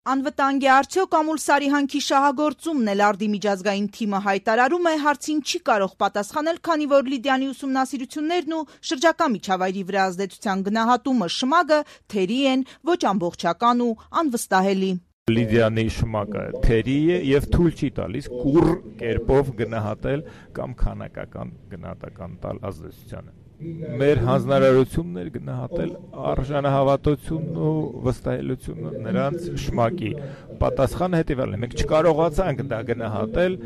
Անվտանգ է արդյոք Ամուլ Սարիհանքի շահագործումն էլ արդի միջազգային թիմը հայտարարում է, հարցին չի կարող պատասխանել, քանի որ Լիդիանի ուսումնասիրություններն ու շրջակա միջավայրի վրա ազդեցության գնահատումը շմագը թերի են, ոչ ամբողջական ու անվստահելի։ Լիդիանի շմակը թերի է եւ թույլ չի տալիս կուռ կերպով գնահատել կամ քանակական գնահատական տալ ազդեցությանը։ Մեր հանձնարարությունն էր գնահատել արժանահավատությունն ու վստահելությունը նրանց շմակի։ Պատասխանը հետևյալն է. մենք չկարողացանք դա գնահատել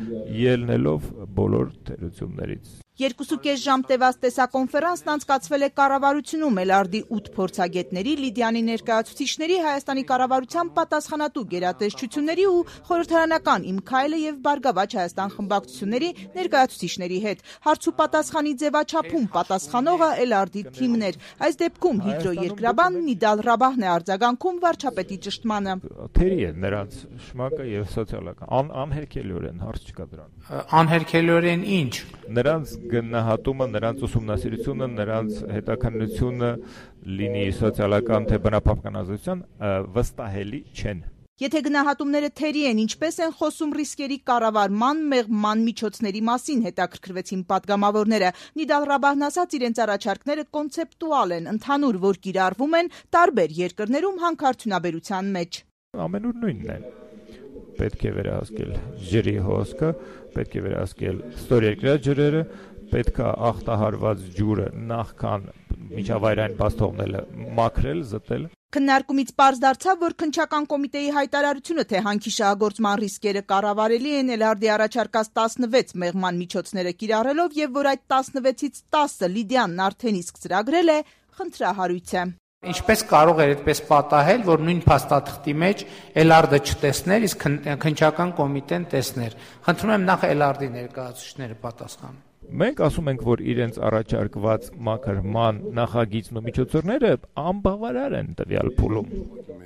ելնելով բոլոր թերություններից։ 2.5 ժամ տևած տեսակոնֆերանսն անցկացվել է կառավարությունում Էլարդի 8 փորձագետների, Լիդիանի ներկայացուցիչների, Հայաստանի կառավարության պատասխանատու գերատեսչությունների ու խորհրդարանական «Իմ քայլը» եւ «Բարգավաճ Հայաստան» խմբակցությունների ներկայացուցիչների հետ։ Հարց ու պատասխանի ձևաչափում պատասխանողը Էլարդի թիմն էր։ Այս դեպքում հիդրոերկրաբան Նիդալ Ռաբահն է արձագանքում վարչապետի ճշտմանը։ Թերի է նրանց շմակը եւ սոցիալական անհերքելիորեն հարց չկա դրան։ Անհերքելիորեն ինչ։ Նրանց գնահատումը, նրանց ուսումնասիրությունը, նրանց հետաքննությունը լինի սոցիալական թե բնապահպանական ազդեցության վստահելի չեն։ Եթե գնահատումները թերի են, ինչպես են խոսում ռիսկերի կառավարման, մեղման միջոցների մասին, հետաքրքրվեցին պատգամավորները։ Նիդալ Ռաբահն ասաց, իրենց առաջարկները կոնցեպտուալ են, ընդհանուր, որ կիրառվում են տարբեր երկրներում հանքարդյունաբերության մեջ։ Ամենուր նույնն է։ Պետք է վերահսկել ջրի հոսքը, պետք է վերահսկել ստորերկրյա ջրերը, պետք է ախտահարված ջուրը նախքան միջավայրային բաց թողնելը մաքրել, զտել։ Քննարկումից պարզ դարձավ, որ քննչական կոմիտեի հայտարարությունը, թե հանքի շահագործման ռիսկերը կառավարելի են Էլարդի առաջարկած 16 մեղման միջոցները կիրառելով եւ որ այդ 16-ից 10-ը Լիդիանն արդեն իսկ ծրագրել է, խնդրահարույց է։ Ինչպես կարող էր այդպես պատահել, որ նույն փաստաթղթի մեջ Էլարդը չտեսներ, իսկ քննչական կոմիտեն տեսներ։ Խնդրում եմ նախ Էլարդի ներկայացուցիչները պատասխանեն։ Մենք ասում ենք, որ իրենց առաջարկված մաքրման նախագիծն ու միջոցառները անբավարար են տվյալ փուլում։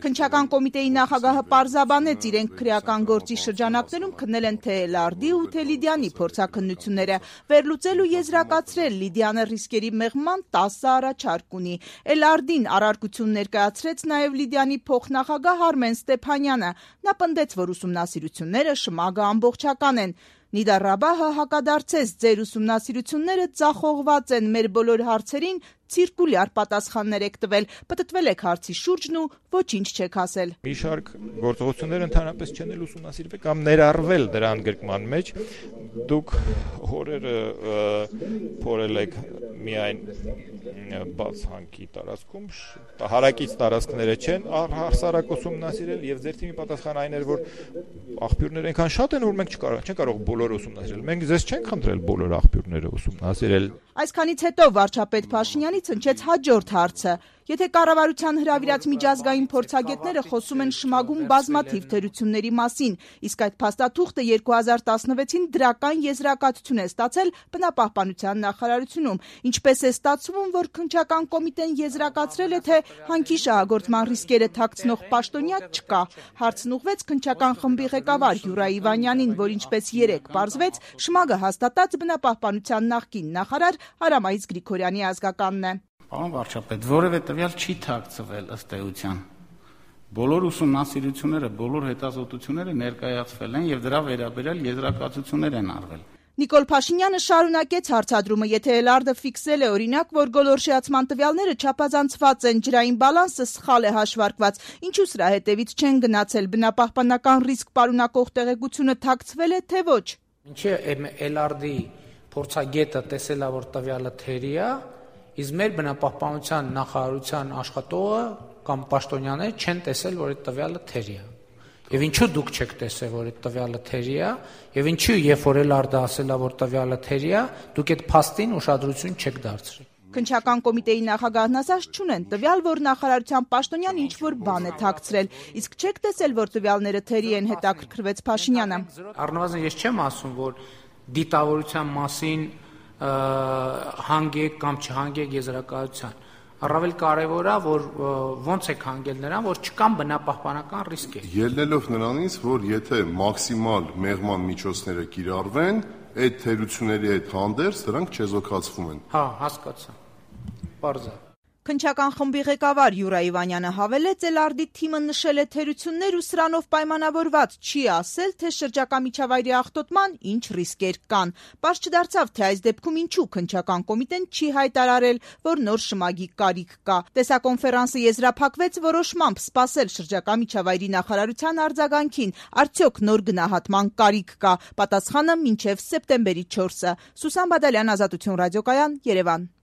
Քննչական կոմիտեի նախագահը պարզաբանեց, իրենք քրեական գործի շրջանակներում քննել են թե Էլարդի ու թե Լիդիանի փորձաքննությունները, վերլուծել ու եզրակացրել Լիդիանը ռիսկերի մեղման 10 առաջարկ ունի։ Էլարդին առարկություն ներկայացրեց նաև Լիդիանի փոխնախագահ Արմեն Ստեփանյանը։ Նա պնդեց, որ ուսումնասիրությունները շմագը ամբողջական են։ Նիդալ Ռաբահը հակադարձեց, ձեր ուսումնասիրությունները ձախողված են, մեր բոլոր հարցերին ցիրկուլյար պատասխաններ եք տվել, պտտվել եք հարցի շուրջն ու ոչինչ չեք ասել։ Մի շարք գործողություններ ընդհանրապես չեն էլ ուսումնասիրվել կամ ներառվել դրա ընդգրկման մեջ։ Դուք հորերը փորել եք միայն բաց հանքի տարածքում, հարակից տարածքները չեն հասարակ ուսումնասիրել եւ ձեր թիմի պատասխանը այն էր, որ աղբյուրները այնքան շատ են, որ մենք չենք կարող բոլորը ուսումնասիրել։ Մենք ձեզ չենք խնդրել բոլոր աղբյուրները ուսումնասիրել։ Այսքանից հետո վարչապետ Փաշինյանից հնչեց հաջորդ հարցը. եթե կառավարության հրավիրած միջազգային փորձագետները խոսում են շմագում բազմաթիվ թերությունների մասին, իսկ այդ փաստաթուղթը 2016-ին դրական եզրակացություն է ստացել բնապահպանության նախարարությունում, ինչպես է ստացվում, որ քննչական կոմիտեն եզրակացրել է, թե հանքի շահագործման ռիսկերը թաքցնող պաշտոնյա չկա։ Հարցն ուղղվեց քննչական խմբի ղեկավար Յուրա Իվանյանին, որ ինչպես երեկ պարզվեց, շմագը հաստատած բնապահպանության նախկին նախարար Արամայից Գրիգորյանի ազգականն է։ Պարոն վարչապետ, որևէ տվյալ չի թաքցվել ըստ էության։ Բոլոր ուսումնասիրությունները, բոլոր հետազոտությունները ներկայացվել են եւ դրա վերաբերյալ եզրակացություններ են արվել։ Նիկոլ Փաշինյանը շարունակեց հարցադրումը, եթե Էլարդը ֆիքսել է օրինակ, որ գոլորշիացման տվյալները չափազանցված են, ջրային բալանսը սխալ է հաշվարկված, ինչու սրա հետևից չեն գնացել, բնապահպանական ռիսկ պարունակող տեղեկությունը թաքցվել է, թե ոչ։ Ինչի Էլարդի փորձագետը տեսել է, որ տվյալը թերի է, իսկ մեր բնապահպանության նախարարության աշխատողը կամ պաշտոնյաները չեն տեսել, որ այդ տվյալը թերի է։ Եվ ինչու դուք չեք տեսել, որ այդ տվյալը թերի է, եւ ինչու երբ որ Էլարդը ասել է, որ տվյալը թերի է, դուք այդ փաստին ուշադրություն չեք դարձրել։ Քննչական կոմիտեի նախագահն ասաց չունեն տվյալ, որ նախարարության պաշտոնյան ինչ-որ բան է թաքցրել, իսկ չեք տեսել, որ տվյալները թերի են, հետաքրքրվեց Փաշինյանը։ Առնվազն ես չեմ ասում, որ դիտավորության մասին հանգեք կամ չհանգեք եզրակացության։ Առավել կարևոր է, որ ոնց եք հանգել նրան, որ չկան բնապահպանական ռիսկեր։ Ելնելով նրանից, որ եթե մաքսիմալ մեղման միջոցները կիրառվեն, այդ թերությունների հետ հանդերձ դրանք չեզոքացվում են։ Հա, հասկացա։ Պարզ է։ Քննչական խմբի ղեկավար Յուրա Իվանյանը հավելեց, Էլարդի թիմը նշել է թերություններ ու սրանով պայմանավորված չի ասել, թե շրջակա միջավայրի աղտոտման ինչ ռիսկեր կան։ Պարզ չդարձավ, թե այս դեպքում ինչու քննչական կոմիտեն չի հայտարարել, որ նոր շմագի կարիք կա։ Տեսակոնֆերանսը եզրափակվեց որոշմամբ սպասել շրջակա միջավայրի նախարարության արձագանքին, արդյոք նոր գնահատման կարիք կա։ Պատասխանը մինչև սեպտեմբերի 4-ը։ Սուսան Բադալյան, Ազատություն ռադիոկայան, Երևան։